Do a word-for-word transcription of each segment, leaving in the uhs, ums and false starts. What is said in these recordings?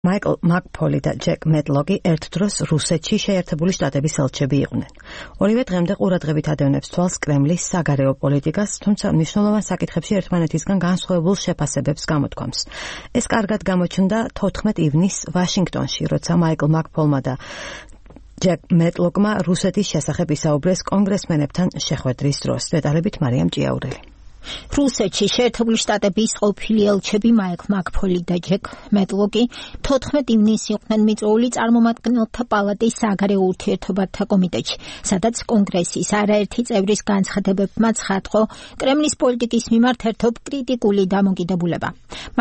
მაიკლ მაკფოლი და ჯეკ მეტლოკი ერთ დროს რუსეთში შეერთებული შტატების ელჩები იყვნენ. ორივე დღემდე ყურადღებით ადევნებს თვალს კრემლის საგარეო პოლიტიკას, თუმცა მნიშვნელოვან საკითხებში ერთმანეთისგან განსხვავებულ შეფასებებს გამოთქვამს. ეს კარგად გამოჩნდა თოთხმეტ ივნისს ვაშინგტონში, როცა მაიკლ მაკფოლმა და ჯეკ მეტლოკმა რუსეთის შესახებ ისაუბრეს კონგრესმენებთან შეხვედრის დროს. დეტალებით მარიამ ჭიაურელი. რუსეთში შეერთებული შტატების ყოფილი ელჩები მაიკლ მაკფოლი და ჯეკ მეტლოკი თოთხმეტ ივნისს იყვნენ მიწვეული წარმომადგენელთა პალატის საგარეო ურთიერთობათა კომიტეტში, სადაც კონგრესის არაერთი წევრის განცხადებებმა ცხადყო კრემლის პოლიტიკის მიმართ ერთობ კრიტიკული დამოკიდებულება.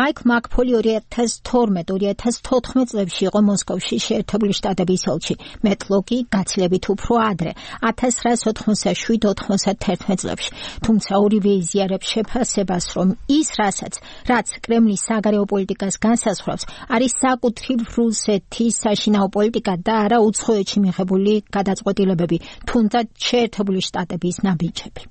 მაიკლ მაკფოლი ორი ათას თორმეტ ორი ათას თოთხმეტ წლებში იყო მოსკოვში შეერთებული შტატების ელჩი, მეტლოკი გაცილებით უფრო ადრე ათას ცხრაას ოთხმოცდაშვიდ ოთხმოცდათერთმეტ წლებში. თუმცა ორივე იზიარებს შეფასებას, რომ ის რასაც რაც კრემლის საგარეო პოლიტიკას განსაზღვრავს, არის საკუთრივ რუსეთის საშინაო პოლიტიკა და არა უცხოეთში მიღებული გადაწყვეტილებები, თუნდაც შეერთებული შტატების ნაბიჯები.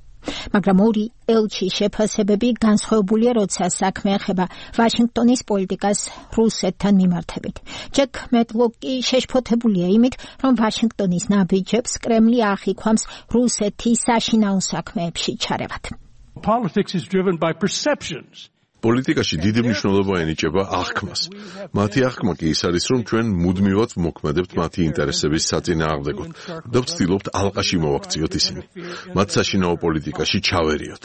მაგრამ ორი ელჩის შეფასებები განსხვავებულია, როცა საქმე ეხება ვაშინგტონის პოლიტიკას რუსეთთან მიმართებით. ჯეკ მეტლოკი შეშფოთებულია იმით, რომ ვაშინგტონის ნაბიჯებს კრემლი ახიქვამს რუსეთის საშინაო საქმეებში ჩარევად. Politics is driven by perceptions. პოლიტიკაში დიდი მნიშვნელობა ენიჭება აღქმას. მათი აღქმა კი ის არის, რომ ჩვენ მუდმივად მოქმედებთ მათი ინტერესების საწინააღმდეგოდ და ვცდილობთ ალყაში მოვაქციოთ ისინი. მათ საშინაო პოლიტიკაში ჩავერიოთ.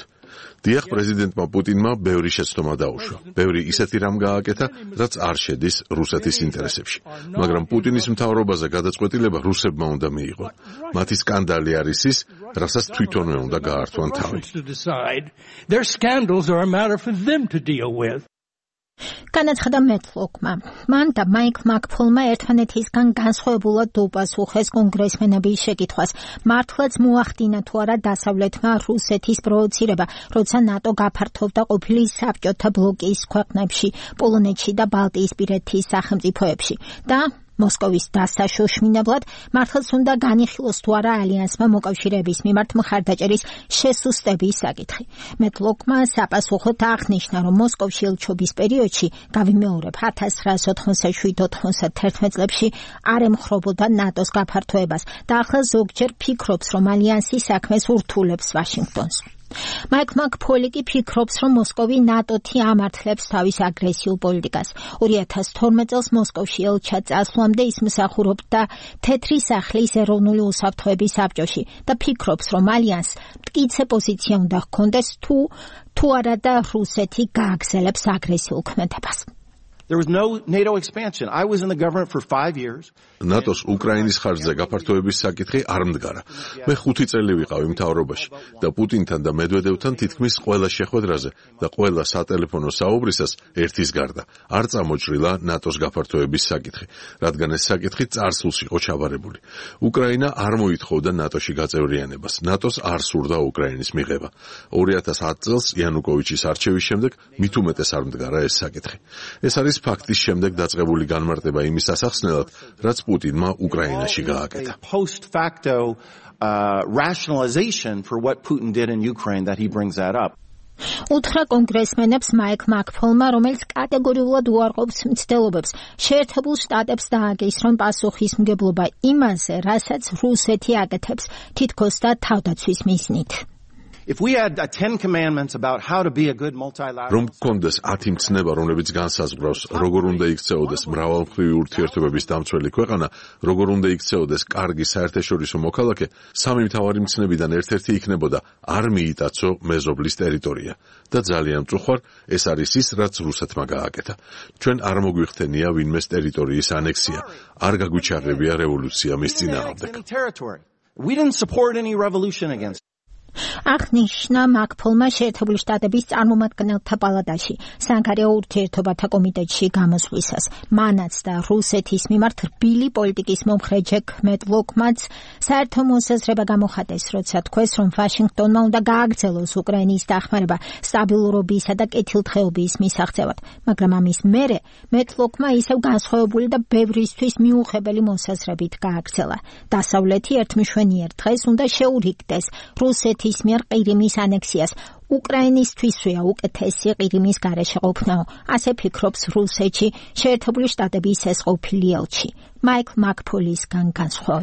დიახ, პრეზიდენტმა პუტინმა ბევრი შეცდომა დაუშვა. ბევრი ისეთი რამ გააკეთა, რაც არ შედის რუსეთის ინტერესებში. მაგრამ პუტინის მთავრობაზე გადაწყვეტილება რუსებმა უნდა მიიღონ. მათი სკანდალი არის ის, რასაც თვითონვე უნდა გაართვან თავი. Their scandals are a matter for them to deal with. განაცხადა მეტლოკმა. მან და მაიკლ მაკფოლმა ერთმანეთისგან განსხვავებულად უპასუხეს კონგრესმენების შეკითხვას. მართლაც მოახდინა თუ არა დასავლეთმა რუსეთის პროვოცირება, როცა ნატო გაფართოვდა ყოფილი საბჭოთა ბლოკის ქვეყნებში, პოლონეთში და ბალტიისპირეთის სახელმწიფოებში და მოსკოვის დასაშოშმინებლად მართლაც უნდა განიხილოს თუ არა ალიანსმა მოკავშირეების მიმართ მხარდაჭერის შესუსტების საკითხი. მეტლოკმა საპასუხოდ აღნიშნა, რომ მოსკოვში ელჩობის პერიოდში, გავიმეორებ, ათას ცხრაას ოთხმოცდაშვიდ ოთხმოცდათერთმეტ წლებში არ ემხრობოდა ნატოს გაფართოებას და ახლა ზოგჯერ ფიქრობს, რომ ალიანსი საქმეს ურთულებს ვაშინგტონს. მაიკლ მაკფოლი კი ფიქრობს, რომ მოსკოვი ნატოთი ამართლებს თავის აგრესიულ პოლიტიკას. ორი ათას თორმეტ წელს მოსკოვში ელჩად წასვლამდე ის მსახურობდა თეთრი სახლის ეროვნული უსაფრთხოების საბჭოში და ფიქრობს, რომ ალიანსს მტკიცე პოზიცია უნდა ჰქონდეს თუ თუ არა და რუსეთი გააგრძელებს აგრესიულ ქმედებას. There was no NATO expansion. I was in the government for five years. ნატოს უკრაინის ხარჯზე გაფართოების საკითხი არ მდგარა. მე ხუთი წელი ვიყავი მთავრობაში და პუტინთან და მედვედევთან თითქმის ყველა შეხვედრაზე და ყველა სატელეფონო საუბრისას ერთის გარდა არ წამოჭრილა ნატოს გაფართოების საკითხი, რადგან ეს საკითხი წარსულს იყო ჩაბარებული. უკრაინა არ მოითხოვდა ნატოში გაწევრიანებას. ნატოს არ სურდა უკრაინის მიღება. ორი ათას ათ წელს იანუკოვიჩის არჩევის შემდეგ მით უმეტეს არ მდგარა ეს საკითხი. ეს არის ფაქტის შემდეგ დაწყებული განმარტება იმის ასახსნელად, რაც პუტინმა უკრაინაში გააკეთა. Post facto uh, rationalization for what Putin did in Ukraine that he brings that up. უთხრა კონგრესმენებს მაიკლ მაკფოლმა, რომელიც კატეგორიულად უარყოფს მცდელობებს, შეერთებულ შტატებს დააგისრონ პასუხისმგებლობა იმაზე, რასაც რუსეთი აკეთებს თითქოს და თავდაცვის მიზნით. If we had uh, ten commandments about how to be a good multilateral, რომ კონდეს ათი მცნება, რომლებიც განსაზღვრავს, როგორ უნდა იქცეოდეს მრავალმხრივი ურთიერთობების დამცველი ქვეყანა, როგორ უნდა იქცეოდეს კარგი საერთაშორისო მოქალაქე, სამი მთავარი მცნებიდან ერთ-ერთი იქნებოდა არ მიიტაცო მეზობლის ტერიტორია. და ძალიან მწუხვარ, ეს არის ის, რაც რუსეთმა გააკეთა. ჩვენ არ მოგვიხდენია ვინმეს ტერიტორიის ანექსია, არ გაგვიჩაღებია რევოლუცია მის წინააღმდეგ. We didn't support any revolution against აღნიშნა მაკფოლმა შეერთებული შტატების წარმომადგენელთა პალატაში საგარეო ურთიერთობათა კომიტეტში გამოსვლისას. მანაც და რუსეთის მიმართ რბილი პოლიტიკის მომხრე ჯეკ მეტლოკმაც საერთო მოსაზრება გამოხატეს, როცა თქვეს, რომ ვაშინგტონმა უნდა გააგრძელოს უკრაინის დახმარება სტაბილურობისა და კეთილდღეობის მისაღწევად. მაგრამ ამის მერე მეტლოკმა ისევ განსხვავებული და ბევრისთვის მიუღებელი მოსაზრებით გააგრძელა. დასავლეთი ერთმშვენიერ დღეს უნდა შეურიგდეს რუსეთის რუსეთის მიერ ყირიმის ანექსიას. უკრაინისთვისვეა უკეთესი ყირიმის გარეშე ყოფნა, ასე ფიქრობს რუსეთში შეერთებული შტატების ეს ყოფილი ელჩი. მაიკლ მაკფოლისგან განსხვავებით.